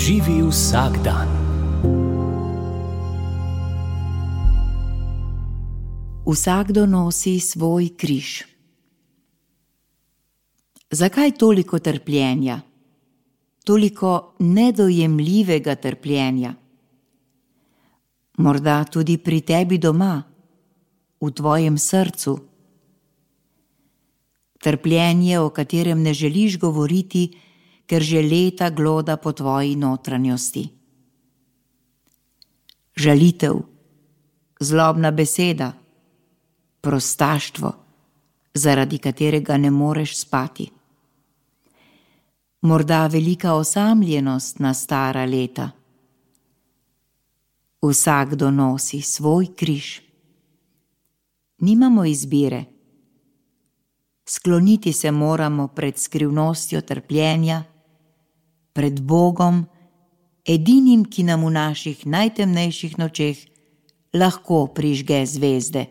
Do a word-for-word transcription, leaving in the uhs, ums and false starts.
Živi vsak dan. Vsakdo nosi svoj križ. Zakaj toliko trpljenja? Toliko nedojemljivega trpljenja? Morda tudi pri tebi doma, v tvojem srcu. Trpljenje, o katerem ne želiš govoriti, ker že leta gloda po tvoji notranjosti. Žalitev, zlobna beseda, prostaštvo, zaradi katerega ne moreš spati. Morda velika osamljenost na stara leta. Vsakdo nosi svoj križ. Nimamo izbire. Skloniti se moramo pred skrivnostjo trpljenja, pred Bogom, edinim, ki nam v naših najtemnejših nočeh lahko prižge zvezde.